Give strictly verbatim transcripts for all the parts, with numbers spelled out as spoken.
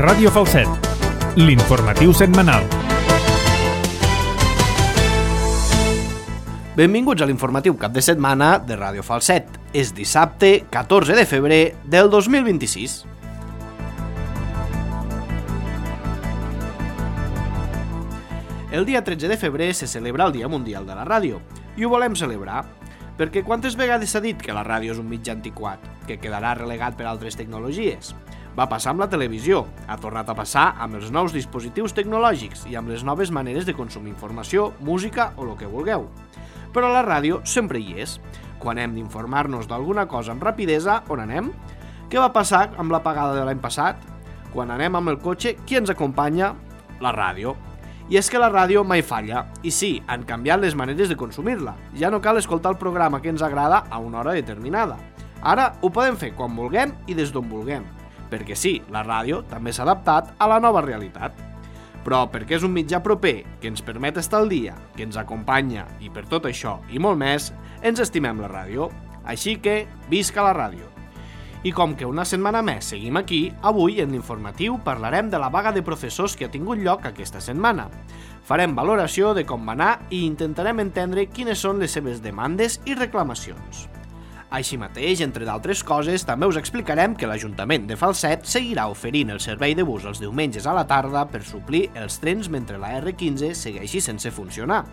Ràdio Falset, l'informatiu setmanal. Benvinguts a l'informatiu cap de setmana de Ràdio Falset. És dissabte, catorze de febrer del dos mil vint-i-sis. El dia tretze de febrer se celebra el Dia Mundial de la Ràdio, i ho volem celebrar perquè quantes vegades s'ha dit que la ràdio és un mitjà antiquat, que quedarà relegat per altres tecnologies? Va passar amb la televisió, ha tornat a passar amb els nous dispositius tecnològics i amb les noves maneres de consumir informació, música o el que vulgueu. Però la ràdio sempre hi és. Quan hem d'informar-nos d'alguna cosa amb rapidesa, on anem? Què va passar amb l'apagada de l'any passat? Quan anem amb el cotxe, qui ens acompanya? La ràdio. I és que la ràdio mai falla, i sí, han canviat les maneres de consumir-la. Ja no cal escoltar el programa que ens agrada a una hora determinada. Ara ho podem fer quan vulguem i des d'on vulguem. Perquè sí, la ràdio també s'ha adaptat a la nova realitat. Però perquè és un mitjà proper, que ens permet estar al dia, que ens acompanya, i per tot això i molt més, ens estimem la ràdio. Així que, visca la ràdio! I com que una setmana més seguim aquí, avui en l'informatiu parlarem de la vaga de professors que ha tingut lloc aquesta setmana. Farem valoració de com va anar i intentarem entendre quines són les seves demandes i reclamacions. Així mateix, entre d'altres coses, també us explicarem que l'Ajuntament de Falset seguirà oferint el servei de bus els diumenges a la tarda per suplir els trens mentre la erre quinze segueixi sense funcionar,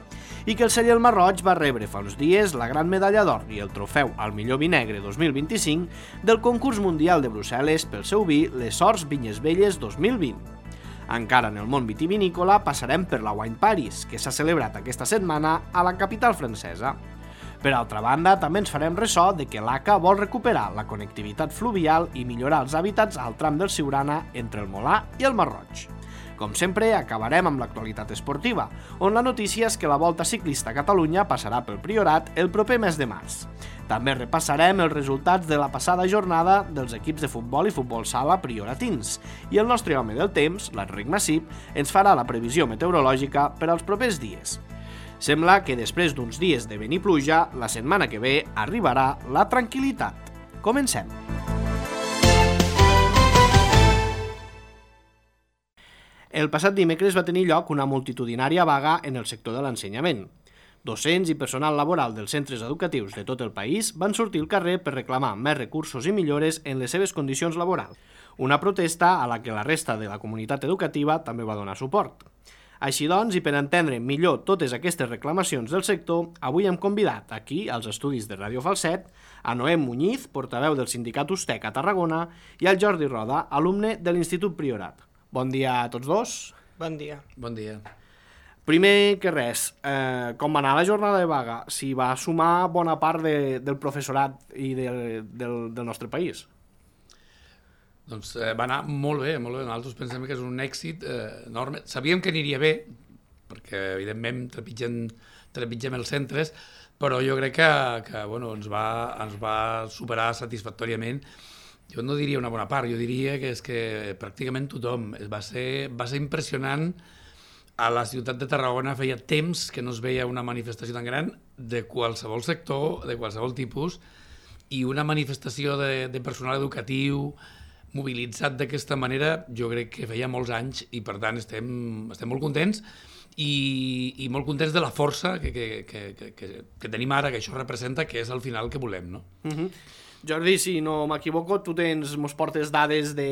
i que el celler Marroig va rebre fa uns dies la gran medalla d'or i el trofeu al millor vi negre dos mil vint-i-cinc del concurs mundial de Brussel·les pel seu vi Les Horts Vinyes Velles dos mil vint. Encara en el món vitivinícola passarem per la Wine Paris, que s'ha celebrat aquesta setmana a la capital francesa. Per altra banda, també ens farem ressò de que l'A C A vol recuperar la connectivitat fluvial i millorar els hàbitats al tram del Siurana entre el Molar i el Marroig. Com sempre, acabarem amb l'actualitat esportiva, on la notícia és que la Volta Ciclista a Catalunya passarà pel Priorat el proper mes de març. També repassarem els resultats de la passada jornada dels equips de futbol i futbol sala prioratins, i el nostre home del temps, l'Enric Massip, ens farà la previsió meteorològica per als propers dies. Sembla que després d'uns dies de vent i pluja, la setmana que ve arribarà la tranquil·litat. Comencem! El passat dimecres va tenir lloc una multitudinària vaga en el sector de l'ensenyament. Docents i personal laboral dels centres educatius de tot el país van sortir al carrer per reclamar més recursos i millores en les seves condicions laborals. Una protesta a la que la resta de la comunitat educativa també va donar suport. Així doncs, i per entendre millor totes aquestes reclamacions del sector, avui hem convidat aquí, als estudis de Ràdio Falset, a Noé Muñiz, portaveu del sindicat USTEC a Tarragona, i al Jordi Roda, alumne de l'Institut Priorat. Bon dia a tots dos. Bon dia. Bon dia. Primer que res, eh, com va anar la jornada de vaga? Si va sumar bona part de, del professorat i de, del, del nostre país? Doncs eh, va anar molt bé, molt bé. Nosaltres pensem que és un èxit eh, enorme. Sabíem que aniria bé, perquè evidentment trepitgem, trepitgem els centres, però jo crec que, que bueno, ens, va, ens va superar satisfactòriament. Jo no diria una bona part, jo diria que és que pràcticament tothom. Va ser, va ser impressionant. A la ciutat de Tarragona feia temps que no es veia una manifestació tan gran de qualsevol sector, de qualsevol tipus, i una manifestació de, de personal educatiu mobilitzat d'aquesta manera, jo crec que feia molts anys, i per tant estem, estem molt contents i, i molt contents de la força que, que, que, que, que tenim ara, que això representa, que és al final que volem, no? Uh-huh. Jordi, si no m'equivoco, tu tens, mos portes dades de,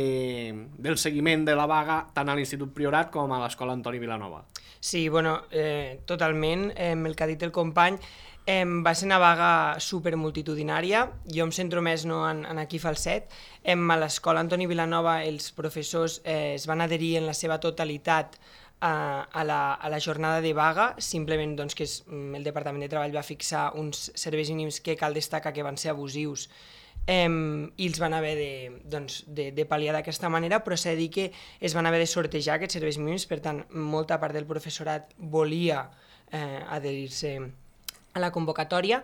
del seguiment de la vaga tant a l'Institut Priorat com a l'Escola Antoni Vilanova. Sí, bueno, eh, totalment, eh, el que ha dit el company, Eh, va ser una vaga supermultitudinària. Jo em centro més no, en, en aquí Falset. Eh, a l'Escola Antoni Vilanova els professors eh, es van adherir en la seva totalitat a, a, la, a la jornada de vaga, simplement doncs, que és, el Departament de Treball va fixar uns serveis mínims que cal destacar que van ser abusius eh, i els van haver de, doncs, de, de pal·liar d'aquesta manera, però s'ha de dir que es van haver de sortejar aquests serveis mínims, per tant, molta part del professorat volia eh, adherir-se a la convocatòria,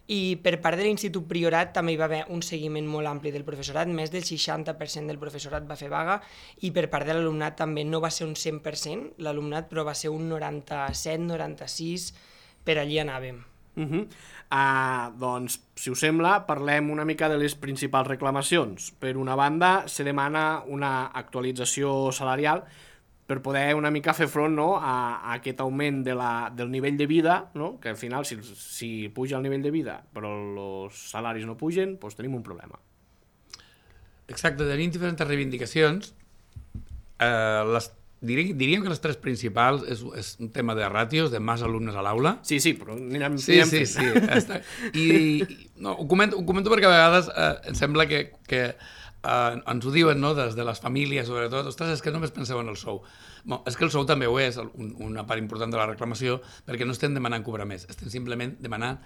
i per part de l'Institut Priorat també hi va haver un seguiment molt ampli del professorat, més del seixanta per cent del professorat va fer vaga, i per part de l'alumnat també no va ser un cent per cent l'alumnat, però va ser un noranta-set noranta-sis, per allí anàvem. Uh -huh. uh, doncs, si us sembla, parlem una mica de les principals reclamacions. Per una banda, se demana una actualització salarial per poder una mica fer front, no, a, a aquest augment de la, del nivell de vida, no? Que al final, si, si puja el nivell de vida però els salaris no pugen, doncs tenim un problema. Exacte, tenim diferents reivindicacions. Eh, les Diríem, diríem que les tres principals és, és un tema de ràtios, de més alumnes a l'aula. Sí, sí, però anirem, sí, anirem sí, fent. sí, està. I, i no, ho, comento, ho comento perquè a vegades eh, em sembla que, que eh, ens ho diuen, no?, des de les famílies, sobretot, ostres, és que només penseu en el sou. Bon, és que el sou també ho és, un, una part important de la reclamació, perquè no estem demanant cobrar més, estem simplement demanant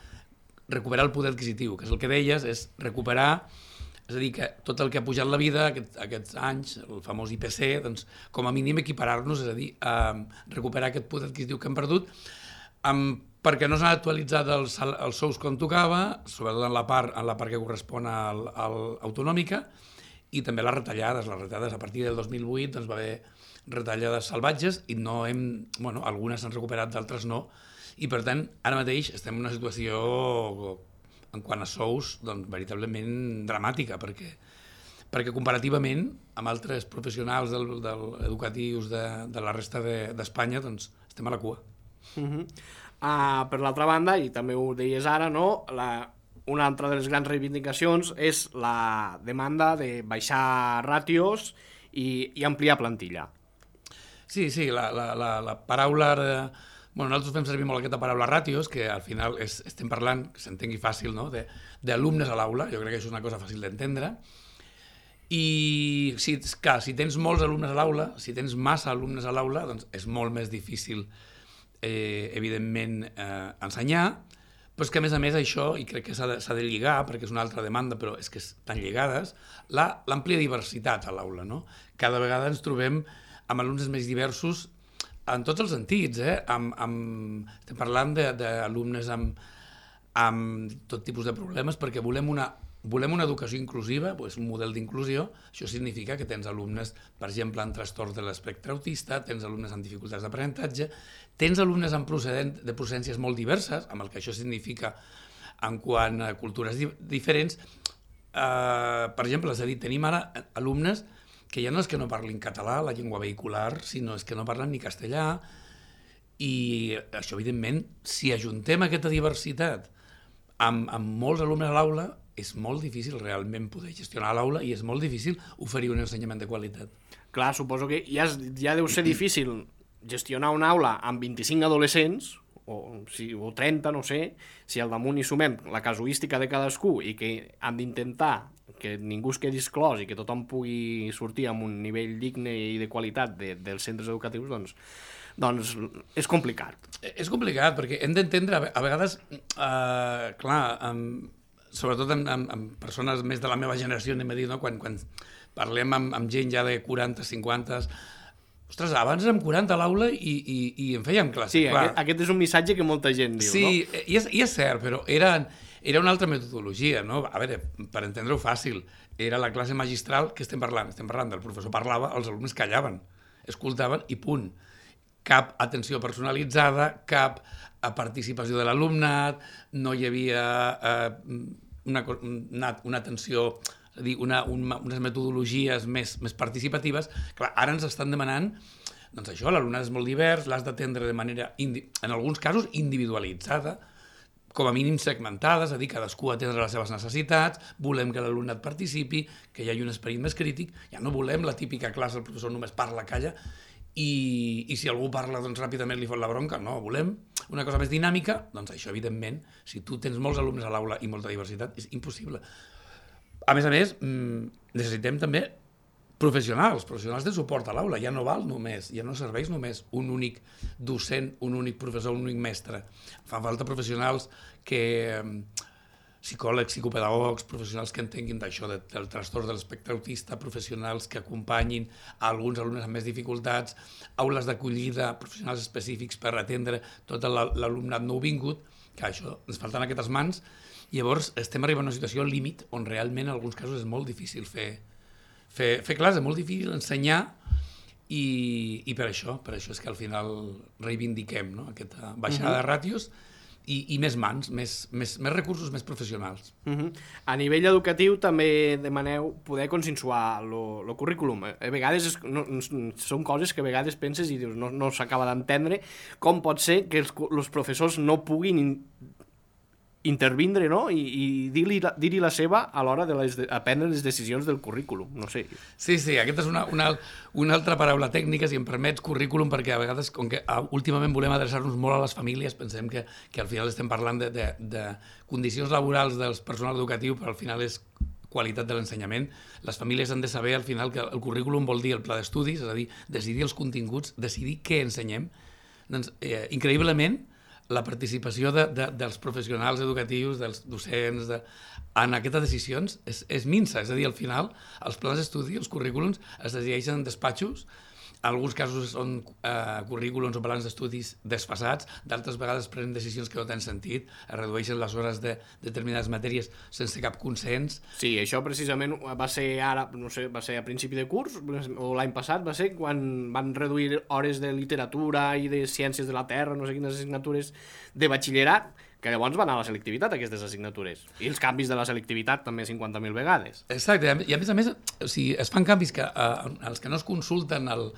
recuperar el poder adquisitiu, que és el que deies, és recuperar. És a dir, que tot el que ha pujat la vida aquest, aquests anys, el famós I P C, doncs, com a mínim equiparar-nos, és a dir, eh, recuperar aquest poder adquisitiu que hem perdut, eh, perquè no s'han actualitzat els, els sous com tocava, sobretot en la part, en la part que correspon al, al autonòmica, i també les retallades. Les retallades a partir del dos mil vuit doncs, va haver retallades salvatges i no hem, bueno, algunes s'han recuperat, d'altres no, i per tant, ara mateix estem en una situació en quant a sous, doncs, veritablement dramàtica, perquè, perquè comparativament amb altres professionals del, del, educatius de, de la resta d'Espanya, de, doncs, estem a la cua. Uh -huh. uh, per l'altra banda, i també ho deies ara, no? La, una altra de les grans reivindicacions és la demanda de baixar ràtios i, i ampliar plantilla. Sí, sí, la, la, la, la paraula... De... Bueno, nosaltres fem servir molt aquesta paraula ràtios, que al final és, estem parlant, que s'entengui fàcil, no?, d'alumnes a l'aula. Jo crec que això és una cosa fàcil d'entendre. I, si, clar, si tens molts alumnes a l'aula, si tens massa alumnes a l'aula, doncs és molt més difícil, eh, evidentment, eh, ensenyar, però és que, a més a més, això, i crec que s'ha de, s'ha de lligar, perquè és una altra demanda, però és que estan lligades, l'àmplia diversitat a l'aula, no? Cada vegada ens trobem amb alumnes més diversos en tots els sentits, eh? Amb, amb, estem parlant d'alumnes amb, amb tot tipus de problemes, perquè volem una, volem una educació inclusiva, doncs un model d'inclusió. Això significa que tens alumnes, per exemple, amb trastorns de l'espectre autista, tens alumnes amb dificultats d'aprenentatge, tens alumnes amb procedent, de procedències molt diverses, amb el que això significa en quant a cultures di diferents. Uh, per exemple, és a dir, tenim ara alumnes que ja no és que no parlin català, la llengua vehicular, sinó és que no parlen ni castellà, i això, evidentment, si ajuntem aquesta diversitat amb, amb molts alumnes a l'aula, és molt difícil realment poder gestionar l'aula i és molt difícil oferir un ensenyament de qualitat. Clar, suposo que ja, ja deu ser difícil gestionar una aula amb vint-i-cinc adolescents, o, si, o trenta, no sé, si al damunt hi sumem la casuística de cadascú i que han d'intentar que ningú es quedi exclòs i que tothom pugui sortir amb un nivell digne i de qualitat de, dels centres educatius, doncs, doncs és complicat. És complicat, perquè hem d'entendre, a vegades, eh, clar, amb, sobretot amb, amb, amb persones més de la meva generació, anem a dir, no? quan, quan parlem amb, amb gent ja de quaranta, cinquanta, ostres, abans érem quaranta a l'aula i, i, i en fèiem classe. Sí, aquest, aquest és un missatge que molta gent diu, sí, no? Sí, i, i és cert, però era, era una altra metodologia, no? A veure, per entendre-ho fàcil, era la classe magistral que estem parlant. Estem parlant del professor parlava, els alumnes callaven, escoltaven i punt. Cap atenció personalitzada, cap participació de l'alumnat, no hi havia eh, una, una, una atenció... És a dir, una, una, unes metodologies més, més participatives. Clar, ara ens estan demanant, doncs això, l'alumnat és molt divers, l'has d'atendre de manera, en alguns casos, individualitzada, com a mínim segmentada, és a dir, cadascú atendre les seves necessitats, volem que l'alumnat participi, que hi hagi un esperit més crític, ja no volem la típica classe, el professor només parla, calla, i, i si algú parla, doncs ràpidament li fot la bronca, no, volem una cosa més dinàmica, doncs això, evidentment, si tu tens molts alumnes a l'aula i molta diversitat, és impossible. A més a més, necessitem també professionals, professionals de suport a l'aula. Ja no val només, ja no serveix només un únic docent, un únic professor, un únic mestre. Fan falta professionals que... psicòlegs, psicopedagogs, professionals que entenguin d'això, del trastorn de l'espectre autista, professionals que acompanyin a alguns alumnes amb més dificultats, aules d'acollida, professionals específics per atendre tot l'alumnat nouvingut, que això, ens falten aquestes mans. Llavors, estem arribant a una situació límit on realment en alguns casos és molt difícil fer, fer, fer classe, és molt difícil ensenyar i, i per això, per això és que al final reivindiquem, no? Aquesta baixada uh-huh. de ràtios i, i més mans, més, més, més recursos, més professionals. Uh-huh. A nivell educatiu també demaneu poder consensuar el currículum. A vegades és, no, són coses que a vegades penses i dius no, no s'acaba d'entendre com pot ser que els, els professors no puguin in, intervindre, no? I, i dir-hi la, dir la seva a l'hora de, les, de prendre les decisions del currículum, no sé. Sí, sí, aquesta és una, una, una altra paraula tècnica, si em permets, currículum, perquè a vegades, com que últimament volem adreçar-nos molt a les famílies, pensem que, que al final estem parlant de, de, de condicions laborals del personal educatiu, però al final és qualitat de l'ensenyament. Les famílies han de saber al final que el currículum vol dir el pla d'estudis, és a dir, decidir els continguts, decidir què ensenyem. Doncs, eh, increïblement, la participació de, de, dels professionals educatius, dels docents, de, en aquestes decisions és, és minsa. És a dir, al final, els plans d'estudi, els currículums, es decideixen en despatxos. En alguns casos són eh, currículums o plans d'estudis desfasats, d'altres vegades prenen decisions que no tenen sentit, es redueixen les hores de determinades matèries sense cap consens. Sí, això precisament va ser ara, no sé, va ser a principi de curs, o l'any passat, va ser quan van reduir hores de literatura i de ciències de la Terra, no sé quines assignatures de batxillerat, que llavors van a la selectivitat, aquestes assignatures. I els canvis de la selectivitat també cinquanta mil vegades. Exacte, i a més a més, o sigui, es fan canvis que eh, els que no es consulten el,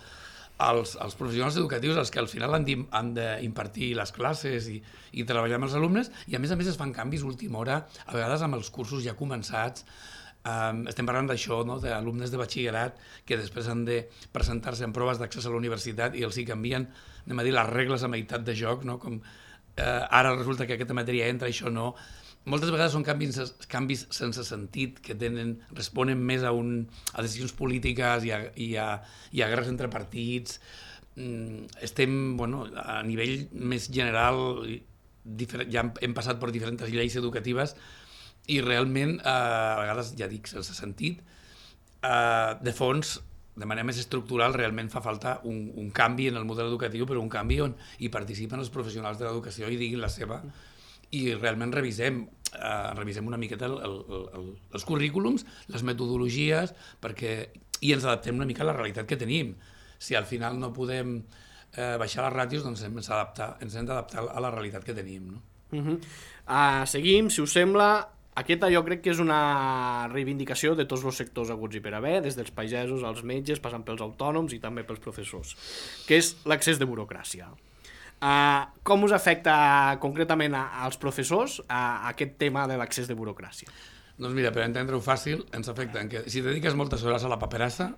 els, els professionals educatius, els que al final han d'impartir les classes i, i treballar amb els alumnes, i a més a més es fan canvis última hora, a vegades amb els cursos ja començats. Um, estem parlant d'això, no? D'alumnes de batxillerat que després han de presentar-se en proves d'accés a la universitat i els hi canvien, anem a dir, les regles a meitat de joc, no? Com eh, ara resulta que aquesta matèria entra, això no. Moltes vegades són canvis, canvis sense sentit, que tenen, responen més a, un, a decisions polítiques i a, i a, i a guerres entre partits. Mm, estem, bueno, a nivell més general, ja hem passat per diferents lleis educatives i realment, eh, a vegades, ja dic, sense sentit, eh, de fons, de manera més estructural, realment fa falta un, un canvi en el model educatiu, però un canvi on hi participen els professionals de l'educació i diguin la seva, i realment revisem, eh, revisem una miqueta el, el, el, els currículums, les metodologies, perquè, i ens adaptem una mica a la realitat que tenim. Si al final no podem eh, baixar les ràtios, doncs hem d'adaptar, ens hem d'adaptar a la realitat que tenim, no? Uh-huh. uh, seguim, si us sembla. Aquesta jo crec que és una reivindicació de tots els sectors haguts i per haver, des dels pagesos als metges, passant pels autònoms i també pels professors, que és l'accés de burocràcia. Uh, com us afecta concretament als professors uh, aquest tema de l'accés de burocràcia? Doncs mira, per entendre-ho fàcil, ens afecta en que si dediques moltes hores a la paperassa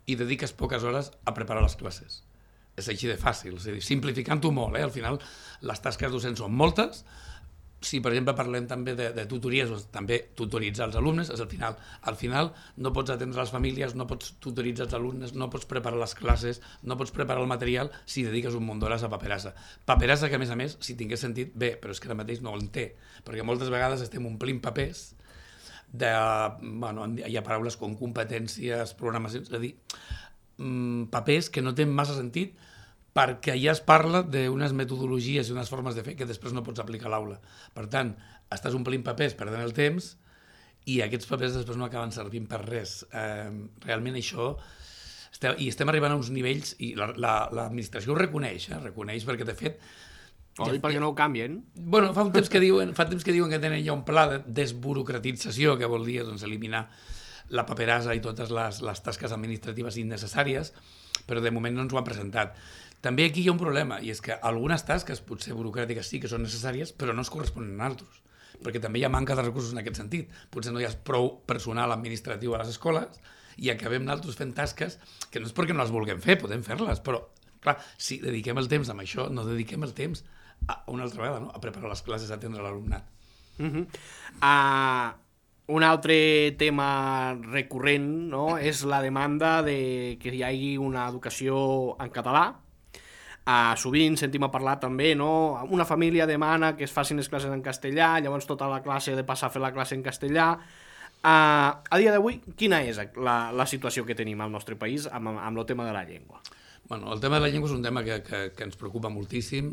i dediques poques hores a preparar les classes. És així de fàcil, és a dir, simplificant-ho molt, eh? Al final les tasques docents són moltes. Si, per exemple, parlem també de, de tutories, o també tutoritzar els alumnes, és al final, al final no pots atendre les famílies, no pots tutoritzar els alumnes, no pots preparar les classes, no pots preparar el material si dediques un munt d'hores a paperassa. Paperassa que, a més a més, si tingués sentit, bé, però és que ara mateix no en té, perquè moltes vegades estem omplint papers de, bueno, hi ha paraules com competències, programacions, és a dir, papers que no tenen massa sentit, perquè ja es parla d'unes metodologies i unes formes de fer que després no pots aplicar a l'aula. Per tant, estàs omplint papers, perdent el temps, i aquests papers després no acaben servint per res. Eh, realment això... Estem, I estem arribant a uns nivells, i l'administració la, la, ho reconeix, eh? reconeix perquè, de fet... Oi, ja, perquè no ho canvien? Bueno, fa un temps que diuen, fa temps que diuen que tenen ja un pla de desburocratització, que vol dir doncs, eliminar la paperassa i totes les, les tasques administratives innecessàries, però de moment no ens ho han presentat. També aquí hi ha un problema, i és que algunes tasques, potser burocràtiques sí que són necessàries, però no es corresponen a altres, perquè també hi ha manca de recursos en aquest sentit. Potser no hi ha prou personal administratiu a les escoles i acabem nosaltres fent tasques que no és perquè no les vulguem fer, podem fer-les, però clar, si dediquem el temps amb això, no dediquem el temps a una altra vegada, no? A preparar les classes, a atendre l'alumnat. Uh-huh. uh, un altre tema recurrent, no? És la demanda de que hi hagi una educació en català. Uh, sovint sentim a parlar també, no? Una família demana que es facin les classes en castellà, llavors tota la classe ha de passar a fer la classe en castellà. Uh, a dia d'avui, quina és la, la situació que tenim al nostre país amb, amb el tema de la llengua? Bueno, el tema de la llengua és un tema que, que, que ens preocupa moltíssim,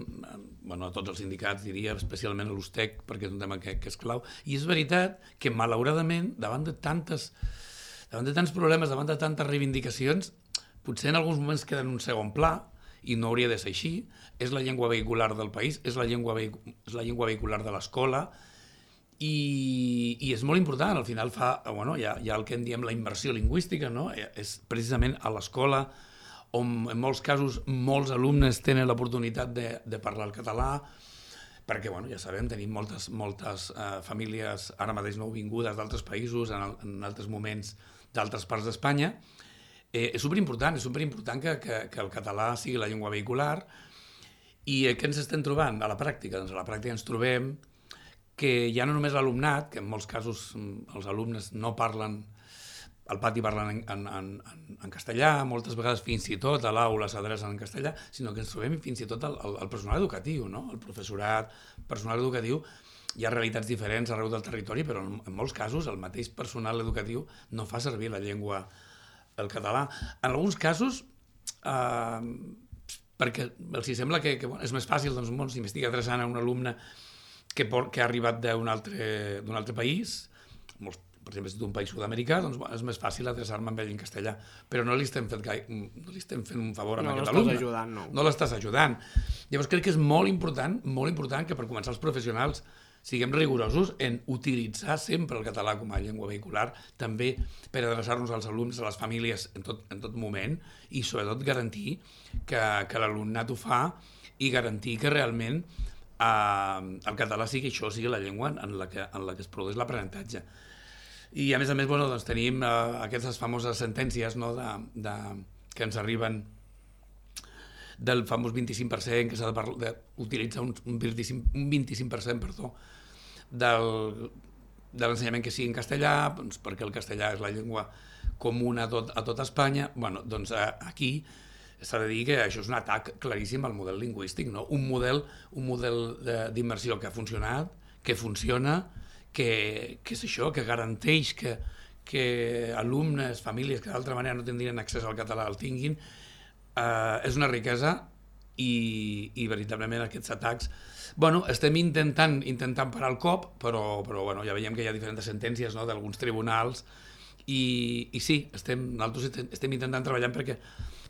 bueno, a tots els sindicats, diria, especialment a l'U S T E C, perquè és un tema que, que és clau. I és veritat que, malauradament, davant de tantes, davant de tants problemes, davant de tantes reivindicacions, potser en alguns moments queden en un segon pla, i no hauria de ser així. És la llengua vehicular del país, és la llengua, vehic és la llengua vehicular de l'escola, i, i és molt important. Al final fa, bueno, hi ha, hi ha el que en diem la immersió lingüística, no? És precisament a l'escola on en molts casos molts alumnes tenen l'oportunitat de, de parlar el català, perquè, bueno, ja sabem, tenim moltes, moltes eh, famílies ara mateix nouvingudes d'altres països, en, el, en altres moments d'altres parts d'Espanya. Eh, és superimportant, és superimportant que, que, que el català sigui la llengua vehicular. I eh, què ens estem trobant a la pràctica? Doncs a la pràctica ens trobem que ja no només l'alumnat, que en molts casos els alumnes no parlen, al pati parlen en, en, en, en castellà, moltes vegades fins i tot a l'aula s'adrecen en castellà, sinó que ens trobem fins i tot el, el, el personal educatiu, no? El professorat, personal educatiu, hi ha realitats diferents arreu del territori, però en, en molts casos el mateix personal educatiu no fa servir la llengua, el català. En alguns casos, eh, perquè els sembla que, que bueno, és més fàcil, doncs, bon, s'investiga adreçant a un alumne que, por, que ha arribat d'un altre, d'un altre país, molts, per exemple, si d'un país sud-americà, doncs bueno, és més fàcil adreçar-me amb ell en castellà, però no li estem fent, gai, no li estem fent un favor a no aquest alumne. Ajudant, no no l'estàs ajudant. Llavors crec que és molt important, molt important que per començar els professionals siguem rigorosos en utilitzar sempre el català com a llengua vehicular, també per adreçar-nos als alumnes, a les famílies en tot, en tot moment, i sobretot garantir que, que l'alumnat ho fa i garantir que realment eh, el català sigui això, sigui la llengua en la que, en la que es produeix l'aprenentatge. I a més a més, bueno, doncs tenim eh, aquestes famoses sentències, no, de, de, que ens arriben del famós vint-i-cinc per cent, que s'ha d'utilitzar un, un vint-i-cinc per cent perdó, del, de l'ensenyament que sigui en castellà, doncs, perquè el castellà és la llengua comuna a tot, a tot Espanya. Bueno, doncs eh, aquí s'ha de dir que això és un atac claríssim al model lingüístic, no? Un model, un model d'immersió que ha funcionat, que funciona, que, que és això, que garanteix que, que alumnes, famílies que d'altra manera no tindrien accés al català el tinguin, eh, és una riquesa i, i veritablement aquests atacs, bueno, estem intentant, intentant parar el cop, però, però bueno, ja veiem que hi ha diferents sentències, no, d'alguns tribunals i, i sí, estem, nosaltres estem intentant treballar perquè,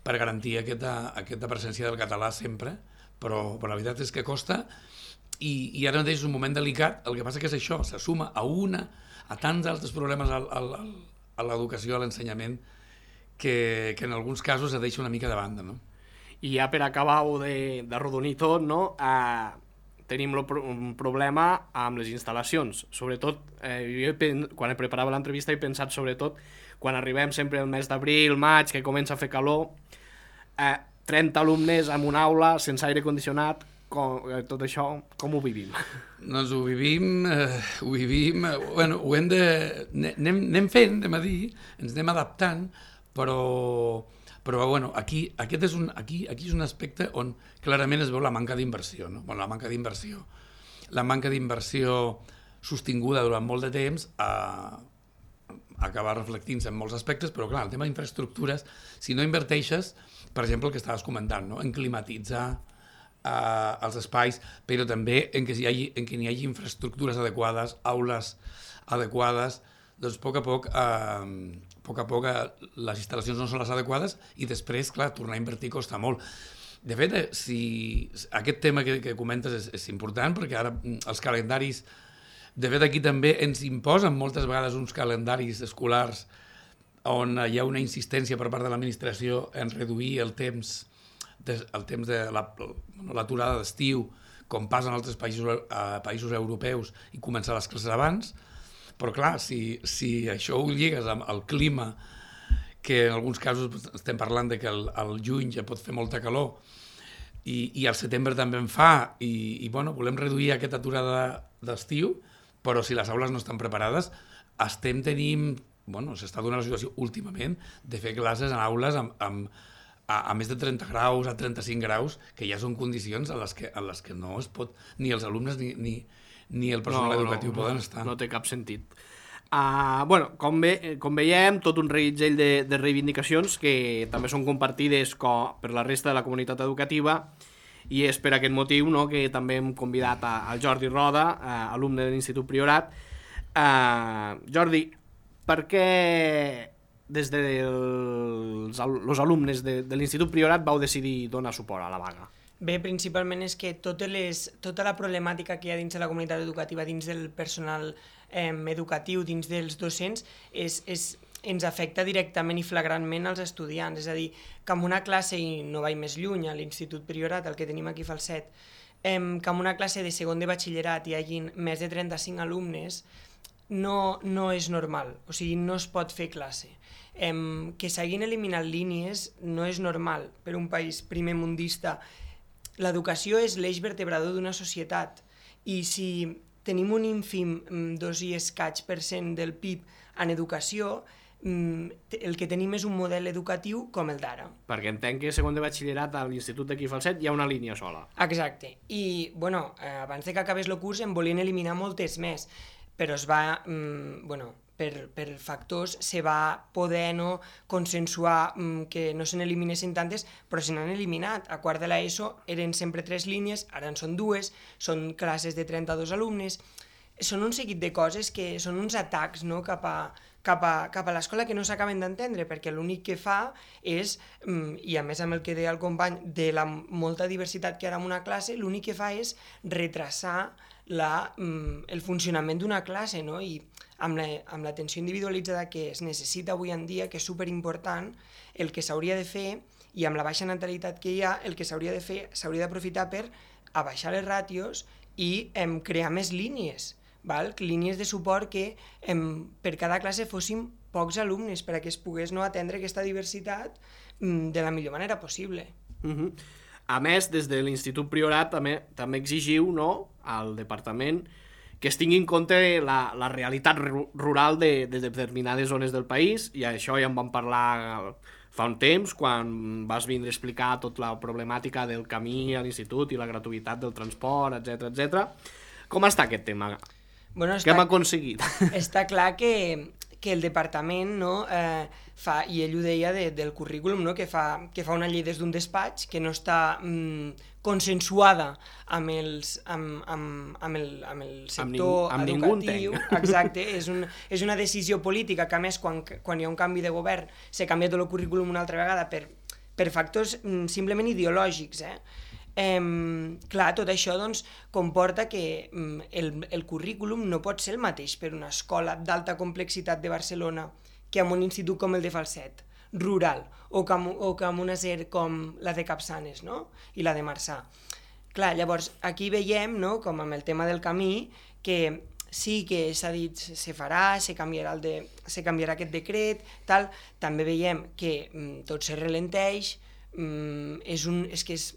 per garantir aquesta, aquesta presència del català sempre, però, però la veritat és que costa. I, i ara mateix és un moment delicat, el que passa que és això, se suma a una, a tants altres problemes al, al, al, a l'educació, a l'ensenyament, que, que en alguns casos es deixa una mica de banda, no? I ja per acabar-ho de, de rodonir tot, no? Eh, tenim lo, un problema amb les instal·lacions. Sobretot, eh, jo quan preparava l'entrevista he pensat sobretot quan arribem sempre el mes d'abril, maig, que comença a fer calor, eh, trenta alumnes en una aula sense aire condicionat, com, tot això, com ho vivim? Doncs ho vivim, eh, ho vivim, eh, bueno, ho hem de... Anem, anem fent, anem a dir, ens anem adaptant, però, però bueno, aquí, aquest és un, aquí, aquí és un aspecte on clarament es veu la manca d'inversió, no? Bueno, la manca d'inversió, la manca d'inversió sostinguda durant molt de temps a, a acabar reflectint-se en molts aspectes, però clar, el tema d'infraestructures, si no inverteixes, per exemple, el que estaves comentant, no? En climatitzar Uh, els espais, però també en que, hi hagi, en que hi hagi infraestructures adequades, aules adequades, doncs a poc a poc, uh, a poc a poc uh, les instal·lacions no són les adequades i després, clar, tornar a invertir costa molt. De fet, si aquest tema que, que comentes és, és important, perquè ara els calendaris, de fet aquí també ens imposen moltes vegades uns calendaris escolars on hi ha una insistència per part de l'administració en reduir el temps el temps de l'aturada la, d'estiu, com passa en altres països, eh, països europeus, i començar les classes abans, però clar, si, si això ho lligues amb el clima, que en alguns casos estem parlant de que el, el juny ja pot fer molta calor, i, i al setembre també en fa, i, i bueno, volem reduir aquesta aturada d'estiu, però si les aules no estan preparades, estem tenint, bueno, s'està donant la situació últimament de fer classes en aules amb, amb A, a més de trenta graus, a trenta-cinc graus, que ja són condicions en les que, en les que no es pot, ni els alumnes ni, ni, ni el personal no, educatiu no, poden no, estar. No té cap sentit. Uh, bueno, com, ve, com veiem, tot un reguitzell de, de reivindicacions que també són compartides com, per la resta de la comunitat educativa, i és per aquest motiu, no, que també hem convidat a, a Jordi Roda, uh, alumne de l'Institut Priorat. Uh, Jordi, per què des dels de alumnes de, de l'Institut Priorat vau decidir donar suport a la vaga? Bé, principalment és que totes les, tota la problemàtica que hi ha dins de la comunitat educativa, dins del personal eh, educatiu, dins dels docents, és, és, ens afecta directament i flagrantment als estudiants. És a dir, que en una classe, i no vaig més lluny, a l'Institut Priorat, el que tenim aquí a Falset, eh, que en una classe de segon de batxillerat hi hagin més de trenta-cinc alumnes, no, no és normal, o sigui, no es pot fer classe. Eh, que s'hagin eliminat línies no és normal per un país primer mundista. L'educació és l'eix vertebrador d'una societat i si tenim un ínfim dos i escaig per cent del P I B en educació, el que tenim és un model educatiu com el d'ara. Perquè entenc que segon de batxillerat a l'Institut d'aquí Falset hi ha una línia sola. Exacte. I, bueno, abans de que acabés el curs en volien eliminar moltes més, però es va, mm, bueno, per, per factors se va poder no consensuar mm, que no se n'eliminessin tantes, però se n'han eliminat. A quart de l'ESO eren sempre tres línies, ara en són dues, són classes de trenta-dos alumnes, són un seguit de coses que són uns atacs no, cap a, cap a, cap a l'escola que no s'acaben d'entendre, perquè l'únic que fa és, i a més amb el que deia el company, de la molta diversitat que hi ha en una classe, l'únic que fa és retrasar la, el funcionament d'una classe, no? I amb la, amb l'atenció individualitzada que es necessita avui en dia, que és superimportant, el que s'hauria de fer, i amb la baixa natalitat que hi ha, el que s'hauria de fer, s'hauria d'aprofitar per abaixar les ràtios i em, crear més línies, val? Línies de suport que em, per cada classe fóssim pocs alumnes perquè es pogués no atendre aquesta diversitat mm, de la millor manera possible. Uh-huh. A més, des de l'Institut Priorat també, també exigiu no, al departament que es tingui en compte la, la realitat rural de, de determinades zones del país, i això ja en vam parlar fa un temps, quan vas vindre a explicar tota la problemàtica del camí a l'institut i la gratuïtat del transport, etcètera etcètera. Com està aquest tema? Bueno, Què hem aconseguit? Està clar que, que el departament no, eh, fa, i ell ho deia de, del currículum, no, que, fa, que fa una llei des d'un despatx que no està mm, consensuada amb, els, amb, amb, amb, el, amb el sector amb ning, amb educatiu. Exacte, és, un, és una decisió política que a més quan, quan hi ha un canvi de govern se canvia tot el currículum una altra vegada per, per factors mm, simplement ideològics, eh? Eh, clar, tot això doncs, comporta que mm, el, el currículum no pot ser el mateix per una escola d'alta complexitat de Barcelona que en un institut com el de Falset, rural, o que, o que en una S E R com la de Capçanes, no? I la de Marçà. Clar, llavors, aquí veiem, no?, com amb el tema del camí, que sí que s'ha dit se farà, se canviarà, el de, se canviarà aquest decret, tal. També veiem que mm, tot se relenteix, mm, és, un, és que és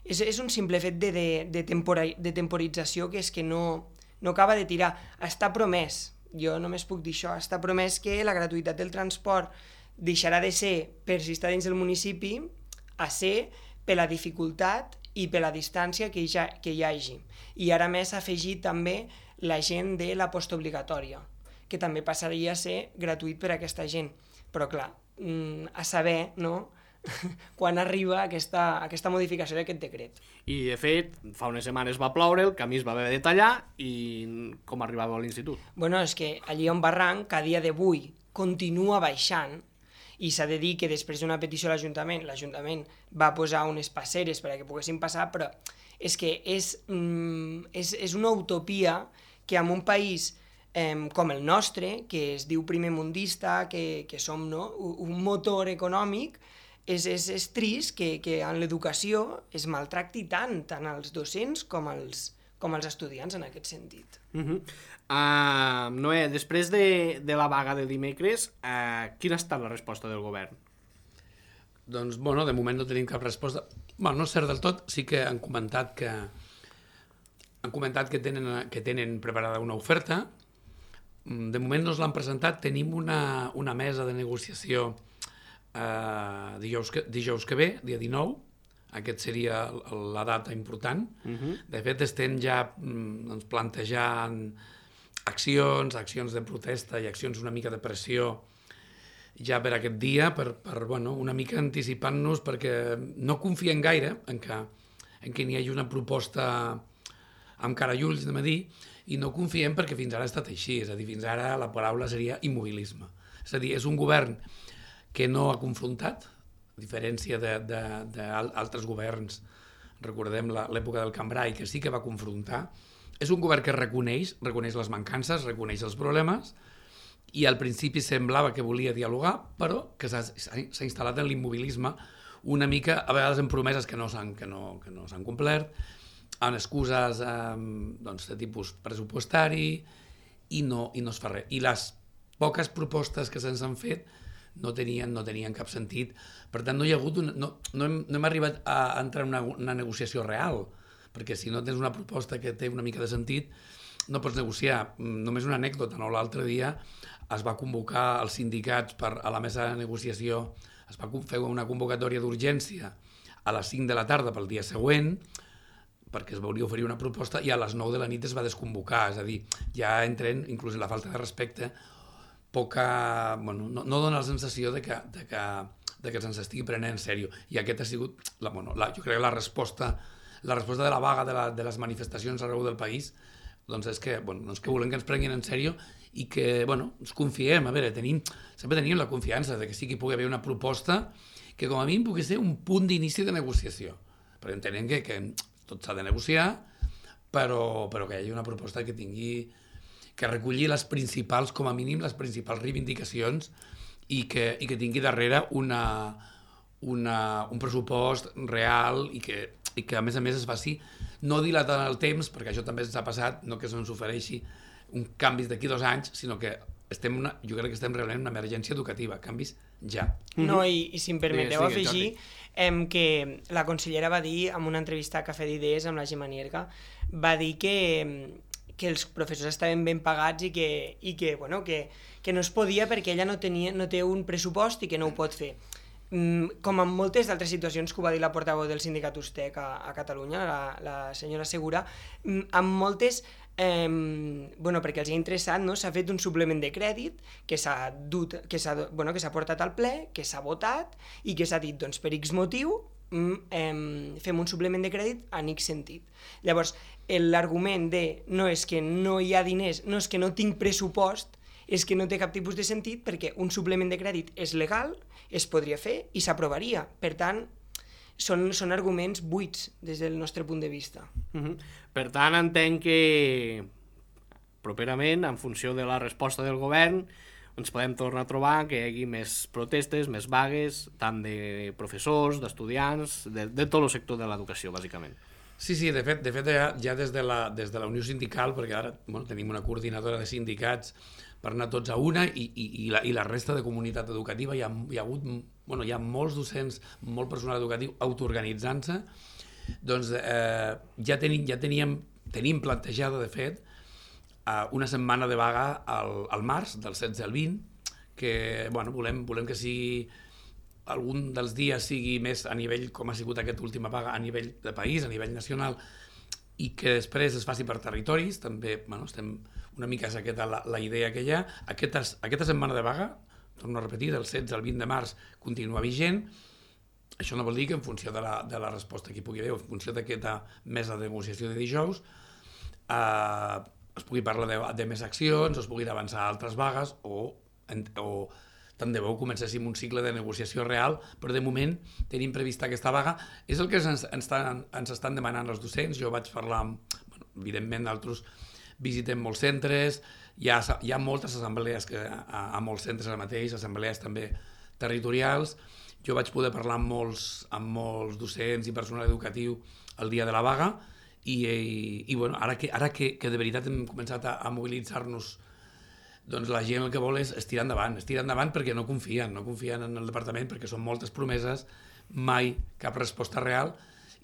És, és un simple fet de, de, de, tempora, de temporització que és que no, no acaba de tirar. Està promès, jo només puc dir això, està promès que la gratuïtat del transport deixarà de ser per si està dins del municipi a ser per la dificultat i per la distància que hi, ha, que hi hagi. I ara més s'ha afegit també la gent de la postobligatòria, que també passaria a ser gratuït per a aquesta gent. Però clar, a saber, no?, quan arriba aquesta, aquesta modificació d'aquest decret. I de fet, fa unes setmanes va ploure, el camí es va haver de tallar i com arribava a l'institut? Bueno, és que allí on barranc, que a dia d'avui continua baixant, i s'ha de dir que després d'una petició a l'Ajuntament, l'Ajuntament va posar unes passeres perquè poguessin passar, però és que és, mm, és, és una utopia que en un país eh, com el nostre, que es diu primer mundista, que, que som no, un motor econòmic, És, és, és trist que, que en l'educació es maltracti tant, tant els docents com els, com els estudiants en aquest sentit. Uh-huh. uh, Noé, després de, de la vaga de dimecres, uh, quina ha estat la resposta del govern? Doncs, bueno, de moment no tenim cap resposta. Bueno, no és cert del tot, sí que han comentat que han comentat que tenen, que tenen preparada una oferta. De moment no ens l'han presentat, tenim una, una mesa de negociació Uh, dijous, que, dijous que ve, dia dinou, aquest seria la data important. Uh-huh. De fet, estem ja mm, plantejant accions, accions de protesta i accions una mica de pressió ja per aquest dia, per, per bueno, una mica anticipant-nos, perquè no confiem gaire en que, en que n'hi hagi una proposta amb cara i ulls, anem a dir, i no confiem perquè fins ara ha estat així, és a dir, fins ara la paraula seria immobilisme. És a dir, és un govern que no ha confrontat, a diferència d'altres governs, recordem l'època del Cambrai, que sí que va confrontar. És un govern que reconeix, reconeix les mancances, reconeix els problemes, i al principi semblava que volia dialogar, però que s'ha instal·lat en l'immobilisme una mica, a vegades en promeses que no s'han que no, que no s'han complert, en excuses eh, doncs, de tipus pressupostari, i no, i no es fa res. I les poques propostes que se'ns han fet no tenien, no tenien cap sentit. Per tant, no hi ha hagut una, no, no, hem, no hem arribat a entrar en una, una negociació real, perquè si no tens una proposta que té una mica de sentit, no pots negociar. Només una anècdota, no? L'altre dia es va convocar els sindicats per, a la mesa de negociació, es va fer una convocatòria d'urgència a les cinc de la tarda pel dia següent, perquè es volia oferir una proposta, i a les nou de la nit es va desconvocar. És a dir, ja entren, inclús la falta de respecte, poca, bueno, no, no dona la sensació de que, de que, de que se'ns estigui prenent en sèrio. I aquest ha sigut, la, bueno, la, jo crec que la resposta, la resposta de la vaga de, la, de les manifestacions arreu del país, doncs és que, bueno, doncs que volem que ens prenguin en sèrio i que, bueno, ens confiem. A veure, tenim, sempre tenim la confiança de que sí que hi pugui haver una proposta que com a mínim pugui ser un punt d'inici de negociació. Perquè entenem que, que tot s'ha de negociar, però, però que hi hagi una proposta que tingui, que reculli les principals, com a mínim, les principals reivindicacions i que, i que tingui darrere una, una, un pressupost real i que, i que, a més a més, es faci no dilatant el temps, perquè això també ens ha passat, no que se'ns ofereixi un canvi d'aquí dos anys, sinó que estem una, jo crec que estem realment en una emergència educativa, canvis ja. No, i, i si em permeteu sí, sí, afegir em, que la consellera va dir en una entrevista a Cafè d'Idees amb la Gemma Nierga, va dir que, que els professors estaven ben pagats i que, i que, bueno, que, que no es podia perquè ella no, tenia, no té un pressupost i que no ho pot fer. Com en moltes d'altres situacions que ho va dir la portaveu del sindicat Ustec a, a Catalunya, la, la senyora Segura, en moltes, eh, bueno, perquè els ha interessat, no? S'ha fet un suplement de crèdit que s'ha dut, que s'ha bueno, que s'ha portat al ple, que s'ha votat i que s'ha dit, doncs, per X motiu, eh, fem un suplement de crèdit en X sentit. Llavors, l'argument de no és que no hi ha diners, no és que no tinc pressupost, és que no té cap tipus de sentit perquè un suplement de crèdit és legal, es podria fer i s'aprovaria. Per tant, són, són arguments buits des del nostre punt de vista. Uh-huh. Per tant, entenc que properament, en funció de la resposta del govern, ens podem tornar a trobar que hi hagi més protestes, més vagues, tant de professors, d'estudiants, de, de tot el sector de l'educació, bàsicament. Sí, sí, de fet, de fet ja, ja des de la, des de la Unió Sindical, perquè ara bueno, tenim una coordinadora de sindicats per anar tots a una i, i, i, la, i la resta de comunitat educativa hi ha, hi ha hagut, bueno, hi ha molts docents, molt personal educatiu autoorganitzant-se, doncs eh, ja, tenim, ja teníem, tenim plantejada, de fet, eh, una setmana de vaga al, al març, del setze al vint, que bueno, volem, volem que sigui algun dels dies sigui més a nivell, com ha sigut aquesta última vaga, a nivell de país, a nivell nacional, i que després es faci per territoris, també bueno, estem una mica és aquesta la, la idea que hi ha. Aquesta, aquesta setmana de vaga, torno a repetir, del setze al vint de març continua vigent. Això no vol dir que en funció de la, de la resposta que hi pugui haver, en funció d'aquesta mesa de negociació de dijous, eh, es pugui parlar de, de més accions, es puguin avançar altres vagues, o, o tant de bo comencéssim un cicle de negociació real, però de moment tenim prevista aquesta vaga. És el que ens, ens, estan, ens estan demanant els docents. Jo vaig parlar amb, bueno, evidentment, d'altres visitem molts centres, hi ha, hi ha moltes assemblees que, a, a molts centres ara mateix, assemblees també territorials. Jo vaig poder parlar amb molts, amb molts docents i personal educatiu el dia de la vaga i, i, i bueno, ara, que, ara que, que de veritat hem començat a, a mobilitzar-nos, doncs la gent el que vol és estirar endavant, estirar endavant perquè no confien, no confien en el departament perquè són moltes promeses, mai cap resposta real